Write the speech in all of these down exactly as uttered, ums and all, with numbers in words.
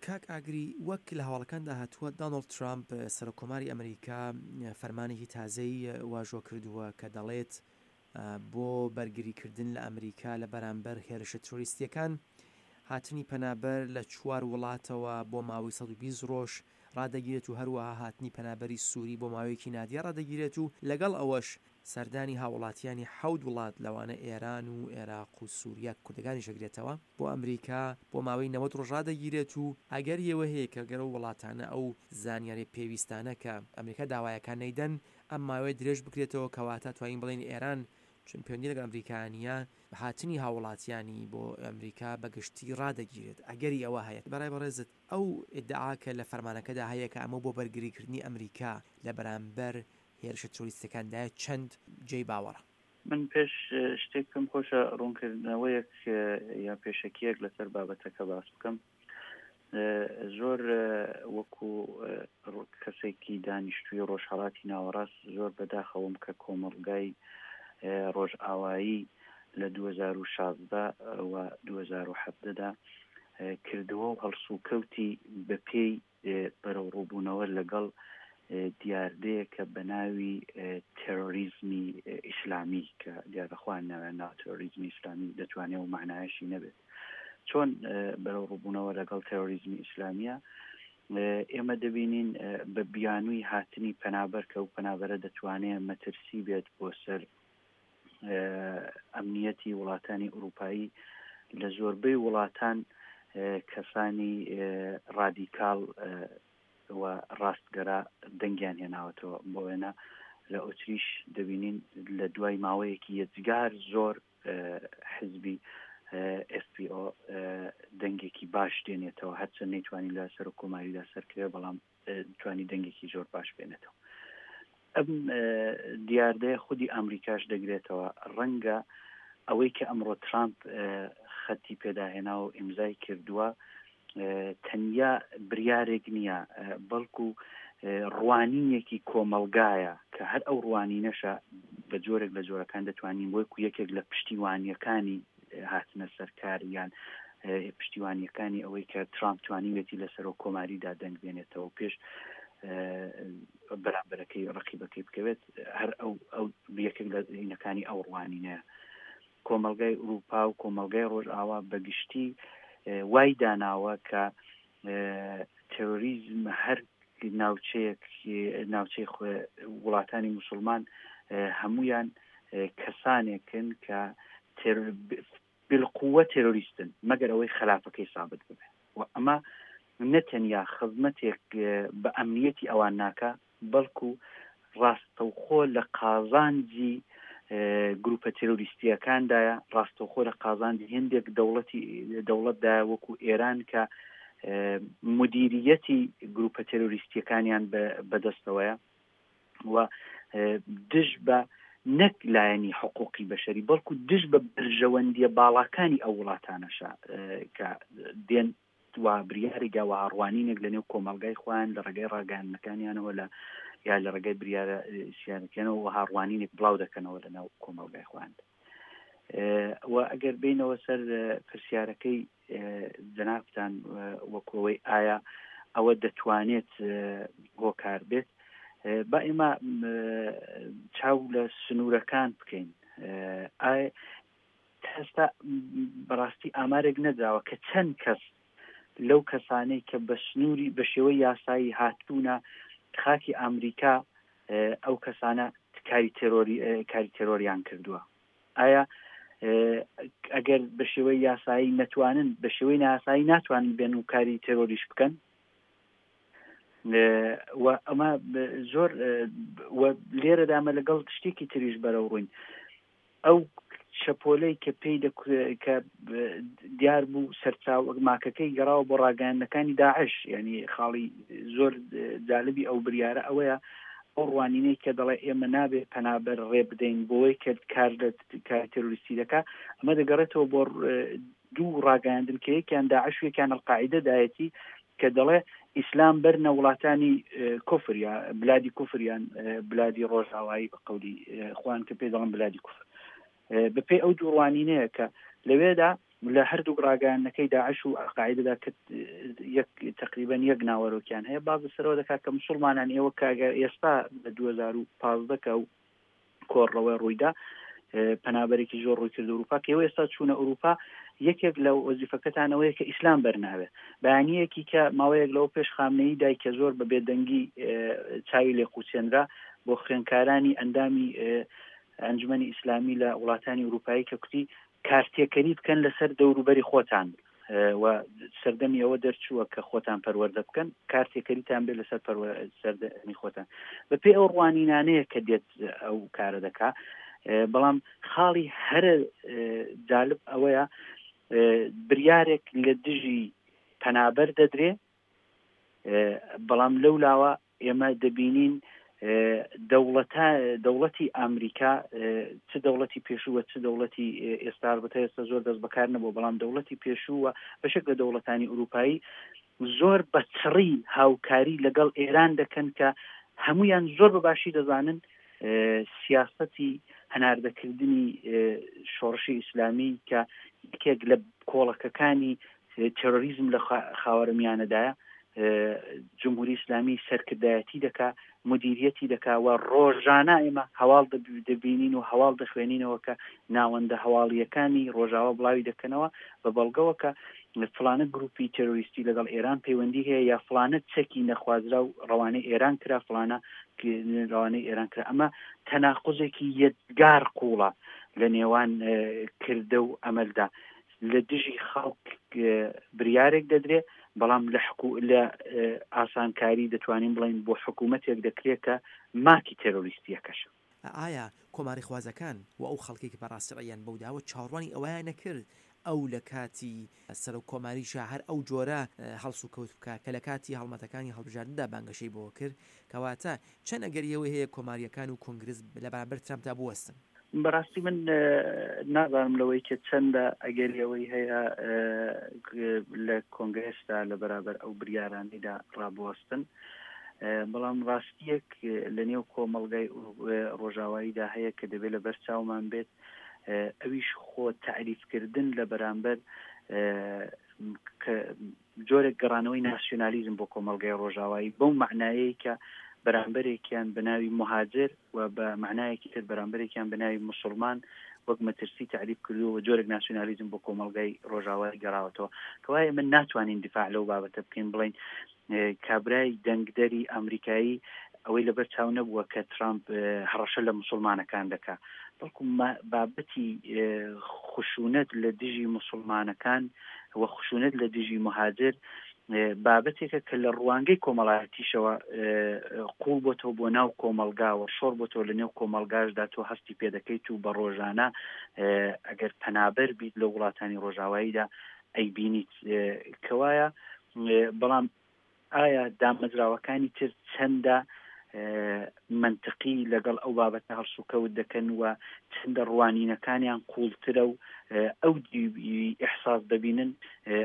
کاک ئاگری، وەک لە هەواڵەکاندا هاتووە، دانۆڵد ترامپ سەرۆک کۆماری ئەمریکا فەرمانێکی تازەی واژۆ کردووە کە دەڵێت بۆ بەرگریکردن لە ئەمریکا لە بەرامبەر هێرشە ترۆریستیەکان، هاتنی پەنابەر لە چوار وڵاتەوە بۆ ماوەی سەد و بیست ڕۆژ ڕادەگیرێت و هەروەها هاتنی پەنابەری سووری بۆ ماوەیەکی نادیار ڕادەگیرێت و لەگەڵ ئەوەش سەردانی هاوڵاتیانی حەوت وڵات لەوانە ئێران و ئێراق و سووریا کوردەکانیش ئەگرێتەوە بۆ ئەمریکا بۆ ماوەی نەوەد ڕۆژ ڕادەگیرێت و ئەگەری ئەوە هەیە کە گەر ئەو وڵاتانە ئەو زانیاریە پێویستانە کە ئەمریکا داوایەکان نەیدەن ئەم ماوەیە درێژ بکرێتەوە، کەواتە توانین بڵێین ئێران چون پەیوەندی لەگەڵ ئەمریکا نییە هاتنی هاوڵاتیانی بۆ ئەمریکا بە گشتی ڕادەگیرێت، ئەگەری ئەوە هەیە. بەڕای بەڕێزت ئەو ئیدعا کە لە فەرمانەکەدا هەیە کە ئەمە بۆ بەرگریکردنی ئەمریکا لە بەرامبەر هێرشە ترۆریستەکاندایە چەند جێی باوەڕە؟ من پێش شتێک پێم خۆشە ڕوونکردنەوەیەک یا پێشەکیەک لەسەر بابەتەکە باس بکەم. زۆر وەکو کەسێکی دانیشتووی ڕۆژهەڵاتی ناوەڕاست زۆر بەداخەوەم کە کۆمەڵگای ڕۆژئاوایی لە دوو هەزار و شازدە و دوو هەزار و حەڤدەدا کردەوە و هەڵسوکەوتی بەپێی بەرەوڕووبوونەوە لەگەڵ دیاردەیە کە بە ناوی تێرۆریزمی ئیسلامی کە دیارە خۆیان ناویان ناوە تێرۆریزمی ئیسلامی دەتوانێت و معنایشی نەبێت. چۆن بەرەوڕووبوونەوە لەگەڵ تێرۆریزمی ئیسلامیە؟ ئێمە دەبینین بە بیانووی هاتنی پەنابەر کە ئەو پەنابەرە دەتوانێت مەترسی بێت بۆ سەر ئەمنیەتی وڵاتانی ئەوروپایی، لە زۆربەی وڵاتان کەسانی ڕادیکاڵ و ڕاستگەرا دەنگیان هێناوەتەوە. بۆ وێنە لە ئۆتریش دەبینین لە دوای ماوەیەکی یەجگار زۆر حزبی ئف پی ئۆ دەنگێکی باش دێنێتەوە، هەرچەند نەیتوانی لە سەرۆک کۆماریدا سەرکەوێ بەڵام توانی دەنگێکی زۆر باش بێنێتەوە. ئەم دیاردەیە خودی ئەمریکاش دەگرێتەوە. ڕەنگە ئەوەی کە ئەمڕۆ ترامپ خەتی پێداهێنا و ئیمزای کردووە تەنیا بریارێک نییە، بەڵکو ڕوانینێکی کۆمەڵگایە کە هەر ئەو ڕوانینەشە بە جۆرێک لە جۆرەکان دەتوانین وەکو یەکێک لە پشتیوانیەکانی هاتنە سەرکار یان پشتیوانیەکانی ئەوەی کە ترامپ توانیوێتی لە سەرۆک کۆماریدا دەنگ بێنێتەوە پێش بەرامبەرەکەی ڕقیبەکەی بکەوێت، هەر ئەو ئەو یەکێک لە هینەکانی ئەو ڕوانینەیە. کۆمەلگای ئەوروپا و کۆمەلگای ڕۆژئاوا بەگشتی وای داناوە کە تێرۆریزم هەر ناوچەیەک ناوچەی وڵاتانی مسلمان هەمویان کەسانێکن کە بالقوە تێرۆریستن مەگەر ئەوەی خلافەکەی سابت ببێ. و ئەمە نەتەنیا خزمەتێک بە ئەمنیەتی ئەوان ناکە، بەڵکو ڕاستەوخۆ لە قازانجی گروپە تێرۆریستیەکاندایە، ڕاستەوخۆ لە قازانجی هەندێک دەوڵەتی دەوڵەتدایە وەکو ئێران کە مدیریەتی گروپە تێرۆریستیەکانیان بەدەستەوەیە و دژ بە نەک لایەنی حقوقی بەشەری بەڵکو دژ بە بەرژەوەندیە باڵاکانی ئەو وڵاتانەشە کە دێن و بریارێک یا ڕوانینێک لە نێو کۆمەلگای خۆیان لە ڕێگەی ڕاگەیاندنەکانیانەوە لە یا لە ڕێگەی بریارە سیاسیەکانەوە وەها ڕوانینێک بڵاو دەکەنەوە لە ناو کۆمەلگای خۆیان. و ئەگەر بینەوە سەر پرسیارەکەی جەنابتان وەکەوەی ئایا ئەوە دەتوانێت هۆکار بێت، با ئێمە چاو لە سنوورەکان بکەین. ئایا هەستا بەڕاستی ئامارێک نەدراوە کە چەند کەس لەو کەسانەی کە بە سنووری بە شێوەی یاسایی هاتوونە خاکی ئەمریکا ئەو کەسانە کاری تێرۆری کاری تێرۆریان کردووە؟ ئایا ئەگەر بە شێوەی یاسایی نەتوانن بە شێوەی ناسایی ناتوانن بێن و کاری تێرۆریش بکەن؟ و ئەمە زۆر لێرەدا ئەمە لەگەڵ شتێکی تریش بەرەو ڕووین. ئەو شەپۆلەی کە پێی کە دیار بوو سەرچاو ماکەکەی گەڕاوە بۆ ڕاگەیاندنەکانی داعش، ینی خاڵی زۆر جالبی ئەو بریارە ئەوەیە ئەو ڕوانینەی کە دەڵێ ئێمە نابێ پەنابەر ڕێ بدەین بۆی کە کار لە کاری تێرۆریستی دەکا، ئەمە دەگەڕێتەوە بۆ دوو ڕاگەیاندن کە یەکیان داعش و یەکیان ئەلقاعیدە دایەتی کە دەڵێ ئیسلام بەرنە وڵاتانی کوفر یا بلادی کوفریان بلادی ڕۆژئاوایی بە قەولی خوان کە پێی دەڵێن بلادی کوفر. بەپێی ئەو دوو ڕوانینەیە کە لەوێدا لە هەردوو ڕاگەیاندنەکەی داعش و ئەلقاعیدەدا کە یەک تقریبا یەک ناوەرۆکیان هەیە، باز سەرەوە دەکات کە مسلمانان ئێوە کاگە ئێستا لە دوو هەزار و پازدە کە ئەو کۆڕەوە ڕوویدا پەنابەرێکی زۆر ڕووی کرد ئەوروپا، کە ئێوە ئێستا چوونە ئەوروپا یەکێک لە وەزیفەکەتانەوەیە کە ئیسلام بەرناوێت. بەیانیەکی کە ماوەیەک لەوە پێش خامنەیی دای کە زۆر بە بێدەنگی چاوی لێقوچێنرا بۆ خوێندکارانی ئەندامی ئەنجومەنی ئیسلامی لە وڵاتانی ئەوروپایی کە کوتی کارتێکەری بکەن لەسەر دەوروبەری خۆتان و سەردەمی ئەوە دەرچووە کە خۆتان پەروەردە بکەن، کارتێکەریتان بێت لەسەر سەردەمی خۆتان. بەپێی ئەو ڕوانینانەیە کە دێت ئەو کارە دەکا. بەڵام خاڵی هەرە جالب ئەوەیە بریارێک لە دژی پەنابەر دەدرێ، بەڵام لەولاوە ئێمە دەبینین دەوڵەتە دەوڵەتی ئەمریکا چ دەوڵەتی پێشووە چ دەوڵەتی ئێستا، البته ئێستا زۆر دەست بەکار نەبوو، بەڵام دەوڵەتی پێشووە بەشێک لە دەوڵەتانی ئەوروپایی زۆر بە چڕی هاوکاری لەگەڵ ئێران دەکەن کە هەمویان زۆر بە باشی دەزانن سیاسەتی هەناردەکردنی شۆڕشی ئیسلامی کە یەکێک لە کۆڵەکەکانی تێرۆریزم لە خاوەرمیانەدایە، جمهوری ئیسلامی سەرکردایەتی دەکا، مدیریەتی دەکا و ڕۆژانە ئێمە هەواڵ دەبینین و هەواڵ دەخوێنینەوە کە ناوەندە هەواڵیەکانی ڕۆژاوا بڵاوی دەکەنەوە بە بەڵگەوە کە فلانە گروپی تێرۆریستی لەگەڵ ئێران پەیوەندی هەیە یا فلانە چەکی نەخوازرا و ڕەوانەی ئێران کرا، فلانە ڕەوانەی ئێران کرا. ئەمە تەناقوزێکی یەکگار قوڵە لە نێوان کردە و ئەمەلدا. لە دژی خەڵک بریارێک دەدرێ، بەڵام لە لە ئاسانکاری دەتوانین بڵین بۆ حکوومەتێک دەکرێت کە ماکی تێرۆریستیەکەش. ئایا کۆماری خوازەکان و ئەو خەڵکێک کە بەڕاستی ڕێیان بەوداوە چاوەڕوانی ئەوەیان نەکرد ئەو لە کاتی سەرۆک کۆماریشا هەر ئەو جۆرە هەڵسوکەوت بکە کە لە کاتی هەڵمەتەکانی هەڵبژاردندا بانگەشەی بۆ کرد؟ کەواتە چەند ئەگەری ئەوەی هەیە کۆماریەکان و کۆنگرس لە بەرامبەر ترامپدا بوەستن؟ بەڕاستی من نازانم لەوەی کە چەندە ئەگەری ئەوەی هەیە لە کۆنگرسدا لە بەرابەر ئەو بریارانەیدا ڕابوەستن، بەڵام ڕاستیەک لە نێو کۆمەڵگای ڕۆژاواییدا هەیە کە دەبێت لە بەر چاومان بێت، ئەویش خۆ تەعریفکردن لە بەرامبەر جۆرێک گەڕانەوەی ناسیۆنالیزم بۆ کۆمەڵگای ڕۆژاوایی بەو معنایەی کە بەرامبەرێکیان بە ناوی مهاجر و بە معنایەکی تر بەرامبەرێکیان بە ناوی مسلمان وەک مەترسی تعریف کردووە و جۆرێک ناسیۆنالیزم بۆ کۆمەڵگای ڕۆژاوای گەڕاوەتەوە. کەوایە من ناتوانین دیفاع لەو بابەتە بکەین بڵین کابرای دەنگدەری ئەمریکایی ئەوەی لەبەر چاو نەبووە کە ترامپ هەڕەشە لە مسلمانەکان دەکا، بەڵکو بابەتی خشونەت لە دژی مسلمانەکان و خشونەت لە دژی مهاجر بابەتێکە کە لە ڕوانگەی کۆمەڵایەتیشەوە قوڵ بۆتەوە بۆ ناو کۆمەلگاوە، شۆڕ بۆتەوە لە نێو کۆمەلگاشدا تۆ هەستی پێدەکەیت و بە ڕۆژانە ئەگەر پەنابەر بیت لە وڵاتانی ڕۆژاواییدا ئەیبینیت. کەوایە بەڵام ئایا دامەزراوەکانی تر چەندە منطقی لەگەڵ ئەو بابەتە هەڵسوکەوت دەکەن و چەندە ڕوانینەکانیان قوڵترە و ئەو ئیحساس دەبینن،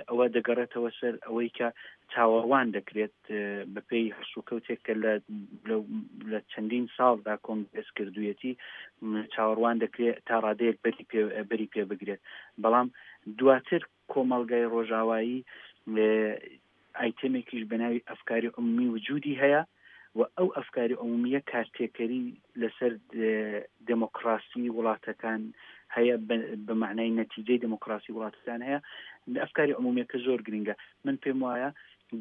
ئەوە دەگەڕێتەوە سەر ئەوەی کە چاوەڕوان دەکرێت بەپێی هەڵسوکەوتێک کە لە چەندین ساڵدا کۆنگرس کردوویەتی چاوەڕوان دەکرێت تا ڕادەیەک بەری پێ بگرێت. بەڵام دواتر کۆمەڵگای ڕۆژاوایی ئایتەمێکیش بە ناوی ئەفکاری عمومی وجودی هەیە و ئەو ئەفکاری عمومیە کارتێکەری لەسەر دێمۆکراسی وڵاتەکان هەیە، بە معنای نەتیجەی دێمۆکراسی وڵاتەکان هەیە. ئەفکاری عمومیەکە زۆر گرنگە. من پێم وایە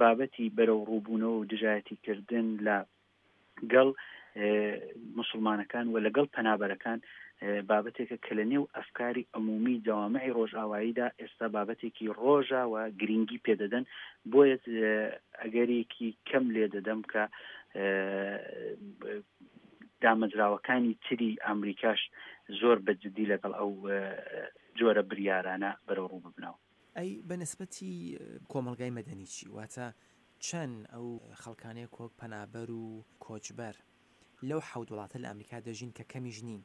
بابەتی بەرەو ڕووبوونەوە و دژایەتیکردن لە گەڵ مسلمانەکان و لەگەڵ پەنابەرەکان بابەتێکە کە لە نێو ئەفکاری عمومی جەوامعی ڕۆژئاواییدا ئێستا بابەتێکی ڕۆژە و گرنگی پێدەدەن. بۆیە ئەگەرێکی کەم لێ دەدەم کە دامەزراوەکانی تری ئەمریکاش زۆر بە جدی لەگەڵ ئەو جۆرە بریارانە بەرەو ڕوو ببنەوە. ئەی بە نسبەتی کۆمەڵگای مەدەنی چی؟ واتە چەند ئەو خەڵکانەیە کۆک پەنابەر و کۆچبەر لەو حەوت وڵاتە لە ئەمریکا دەژین کە کەمیش نین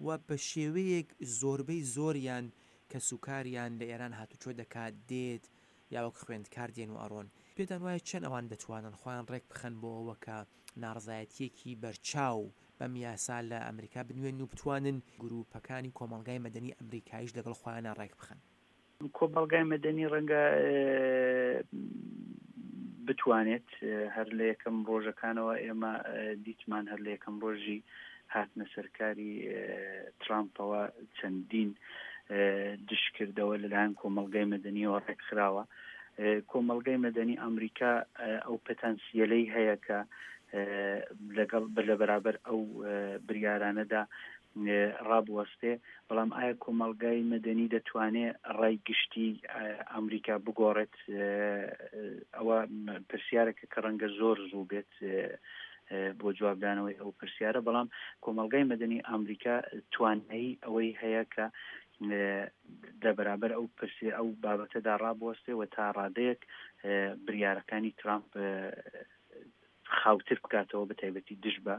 و بە شێوەیەک زۆربەی زۆریان کە سوکاریان لە ئێران هاتوچۆ دەکات دێت یا وەک خوێندکار دێن و ئەڕۆن، پێتان وایە چەند ئەوان دەتوانن خۆیان ڕێک بخەن بۆ ئەوە کە ناڕزایەتیەکی بەرچاو بەم یاسا لە ئەمریکا بنوێن و بتوانن گروپەکانی کۆمەڵگای مەدەنی ئەمریکاییش لەگەڵ خۆیانە ڕێک بخەن؟ کۆمەڵگای مەدەنی ڕەنگە بتوانێت هەر لە یەکەم ڕۆژەکانەوە ئێمە دیتمان هەر لە یەکەم ڕۆژی هاتنە سەرکاری ترامپەوە چەندین دشکردەوە لەلایەن کۆمەڵگای مەدەنیەوە ڕێکخراوە. کۆمەڵگای مەدەنی ئەمریکا ئەو پتانسیەلەی هەیە کە لەگەڵ لە بەرابەر ئەو بریارانەدا ڕابوەستێ، بەڵام ئایا کۆمەڵگای مەدەنی دەتوانێت ڕای گشتی ئەمریکا بگۆڕێت؟ ئەوە پرسیارێکە کە ڕەنگە زۆر زوو بێت بۆ جوابدانەوەی ئەو پرسیارە، بەڵام کۆمەڵگای مەدەنی ئەمریکا توانایی ئەوەی هەیە کە لە بەرابەر ئەو پرسی ئەو بابەتەدا ڕابوەستێ و تا ڕادەیەک بریارەکانی ترامپ خاوتر بکاتەوە، بە تایبەتی دژ بە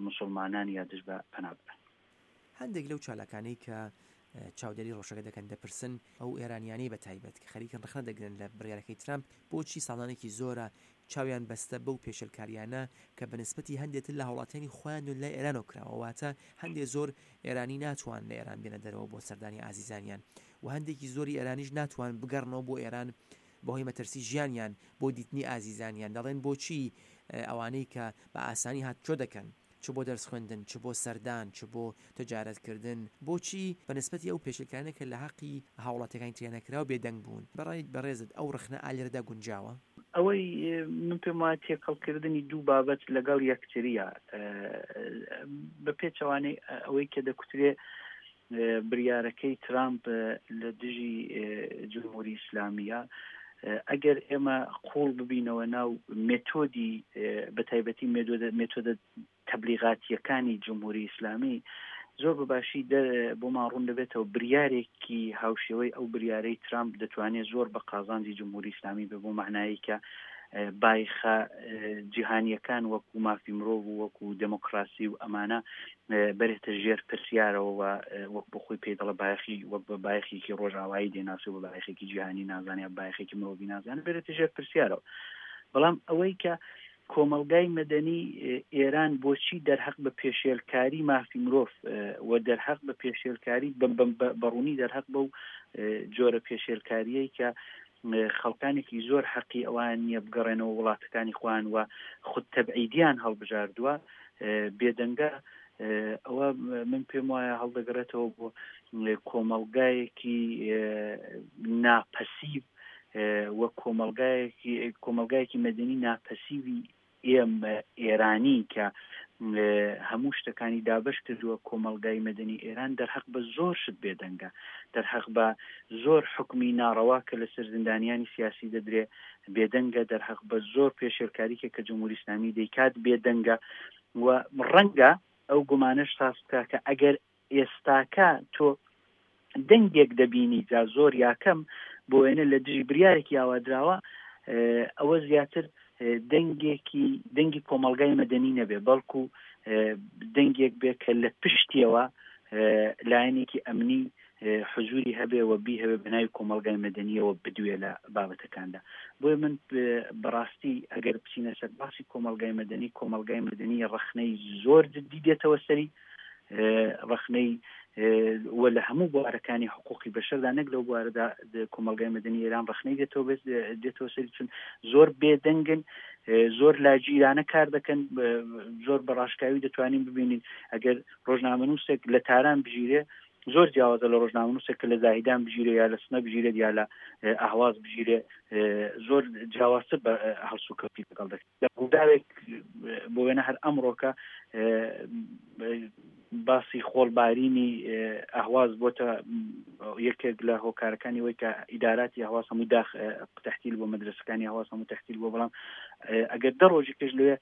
مسلمانان یا دژ بە پەنابەران. هەندێک لەو چالاکانەی کە چاودێری ڕۆژەکە دەکەن دەپرسن ئەو ئێرانیانەی بە تایبەت کە خەریکن ڕەخنە دەگرن لە بڕیارەکەی ترامپ بۆچی ساڵانێکی زۆرە چاویان بەستە بەو پێشلکاریانە کە بە نسبەتی هەندێتر لە هاوڵاتیانی خۆیان و لای ئێرانەوە کراوە، واتە هەندێک زۆر ئێرانی ناتوان لە ئێران بێنە دەرەوە بۆ سەردانی ئازیزانیان و هەندێکی زۆری ئێرانیش ناتوان بگەڕنەوە بۆ ئێران بەهۆی مەترسی ژیانیان بۆ دیتنی ئازیزانیان. دەڵێن بۆچی ئەوانەی کە بە ئاسانی هاتوچۆ دەکەن، چ بۆ دەرس خوێندن، چ بۆ سەردان، چ بۆ تجارەتکردن، بۆچی بە نسبەتی ئەو پێشلکارانە کە لە حەقی هاوڵاتیەکانی ترێنەکراو بێدەنگ بوون؟ بەڕای بەڕێزت ئەو ڕەخنە ئالێرەدا گونجاوە؟ ئەوەی من پێم وایە تێکەڵکردنی دوو بابەت لەگەڵ یەکتریە، بە پێچەوانەی ئەوەی کە دەکوترێ بریارەکەی ترامپ لە دژی جمهوری ئیسلامیە، ئەگەر ئێمە قوڵ ببینەوە ناو مێتۆدی بە تایبەتی مێتۆدە تەبلیغاتیەکانی جمهوری ئیسلامی زۆر بەباشی بۆمان ڕوون دەبێتەوە بریارێکی هاوشێوەی ئەو بریارەی ترامپ دەتوانێت زۆر بە قازانجی جمهوری ئیسلامی بێ، بۆ معنایی کە بایخە جیهانیەکان وەکو مافی مرۆڤ و وەکو دێموکراسی و ئەمانە بەرێتە ژێر پرسیارەوە وەک بۆ خۆی پێی دەڵێ بایەخی وەک بە بایەخێکی ڕۆژئاوایی دێناسی و بە بایەخێکی جیهانی نازانێ، بایەخێکی مرۆڤی نازانێ، بەرێتە ژێر پرسیارەوە. بەڵام ئەوەی کە کۆمەڵگای مەدەنی ئێران بۆچی دەرحەق بە پێشێلکاری مافی مرۆڤ و دەرحەق بە پێشێلکاری بەڕوونی دەرحەق بەو جۆرە پێشێلکاریەی کە خەڵکانێکی زۆر حەقی ئەوان نییە بگەڕێنەوە وڵاتەکانی خۆیان و خود تەبعیدیان هەڵبژاردووە بێدەنگە، ئەوە من پێم وایە هەڵدەگەڕێتەوە بۆ کۆمەڵگایەکی ناپەسیو و کۆمەڵگایەکی کۆمەڵگایەکی مەدەنی ناپەسیوی ئێمە ئێرانی کە هەموو شتەکانی دابش کردووە. کۆمەڵگای مەدەنی ئێران دەرحەق بە زۆر شت بێدەنگە، دەرحەق بە زۆر حکمی ناڕەوا کە لەسەر زیندانیانی سیاسی دەدرێ بێدەنگە، دەرحەق بە زۆر پێشێلکاریکە کە جمهوری ئیسلامی دەیکات بێدەنگە و ڕەنگە ئەو گومانەش ساز بکە کە ئەگەر ئێستاکە تۆ دەنگێک دەبینی جا زۆر یاکەم بۆ وێنە لە دژی بریارێکی ئاوادراوە، ئەوە زیاتر دەنگێکی دەنگی کۆمەڵگای مەدەنی نەبێ، بەڵکو دەنگێک بێ کە لە پشتیەوە لایەنێکی ئەمنی حزوری هەبێ و بیهەوێ بە ناوی کۆمەڵگای مەدەنیەوە بدوێ لە بابەتەکاندا. بۆیە من بەڕاستی ئەگەر بچینە سەر باسی کۆمەڵگای مەدەنی، کۆمەڵگای مەدەنی ڕەخنەی زۆر جدی دێتەوە سەری، ڕەخنەی و لە هەموو بوارەکانی حقوقی بەشەردا نەک لەو بوارەدا کۆمەڵگای مەدەنی ئێران ڕەخنەی دێتەوە دێتەوە سەری، چون زۆر بێدەنگن، زۆر لاگیرانە کار دەکەن، زۆر بەڕاشکاوی دەتوانین ببینین ئەگەر ڕۆژنامەنووسێک لە تاران بژیرێ زۆر جیاوازە لە ڕۆژنامەنووسێک کە لە زاهیدان بژیرێ یا لە سنە بژیرێت یا لە ئەهواز بژیرێ، زۆر جیاوازتر بە هەڵسوکەوتی لەگەڵ دەکرێت. لە ڕووداوێک بۆ وێنە هەر ئەمڕۆکە باسی خۆڵبارینی ئەهواز بۆتە یەکێک لە هۆکارەکانی وەی کە ئیداراتی ئەهواز هەموو داخ تەحتیل بۆ مەدرسەکانی ئەهواز هەموو تەحتیل بۆ، بەڵام ئەگەر دە ڕۆژی پێش لەوێ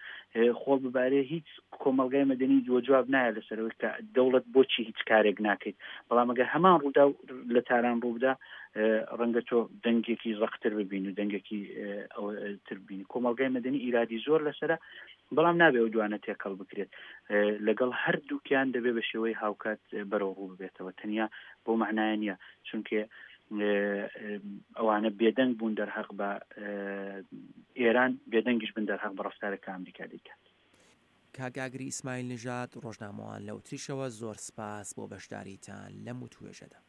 خۆڵ ببارێ هیچ کۆمەڵگای مەدەنی دووە جواب نایە لەسەرەوەی کە دەوڵەت بۆچی هیچ کارێک ناکەیت. بەڵام ئەگەر هەمان ڕوودا لە تاران ڕووبدا ڕەنگە تۆ دەنگێکی ڕەقتر ببین و دەنگێکی تر ببینی. کۆمەڵگای مەدەنی ئیرادی زۆر لەسەرە، بەڵام نابێ ئەو دوانە تێکەڵ بکرێت، لەگەڵ هەردووکیان دەبێ بە شێوەی هاوکات بەرەو ڕوو ببێتەوە. تەنیا بۆ معنایە نییە چونکە ئەوانە بێدەنگ بوون دەرحەق بە ئێران، بێدەنگیش بن دەرحەق بە ڕەفتارێک کە ئەمریکا دەیکات. کاک ئاگری ئیسماعیل نژاد، ڕۆژنامەوان لە ئوتریشەوە، زۆر سپاس بۆ بەشداریتان لەم وتوێژەدا.